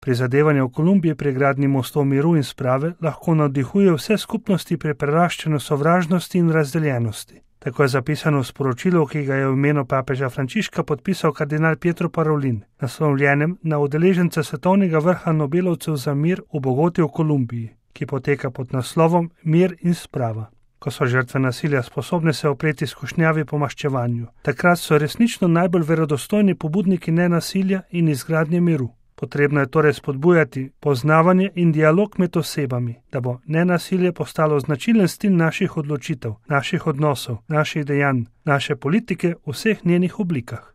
Prizadevanje v Kolumbiji pri gradnji mostov miru in sprave lahko navdihuje vse skupnosti pri preraščanju sovražnosti in razdeljenosti. Tako je zapisano v sporočilu, ki ga je v imenu papeža Frančiška podpisal kardinal Pietro Parolin, naslovljenem na udeležence svetovnega vrha Nobelovcev za mir v Bogoti v Kolumbiji, ki poteka pod naslovom Mir in sprava. Ko so žrtve nasilja sposobne se opreti skušnjavi po maščevanju, takrat so resnično najbolj verodostojni pobudniki nenasilja in izgradnje miru. Potrebno je torej spodbujati poznavanje in dialog med osebami, da bo nenasilje postalo značilen stil naših odločitev, naših odnosov, naših dejanj, naše politike v vseh njenih oblikah.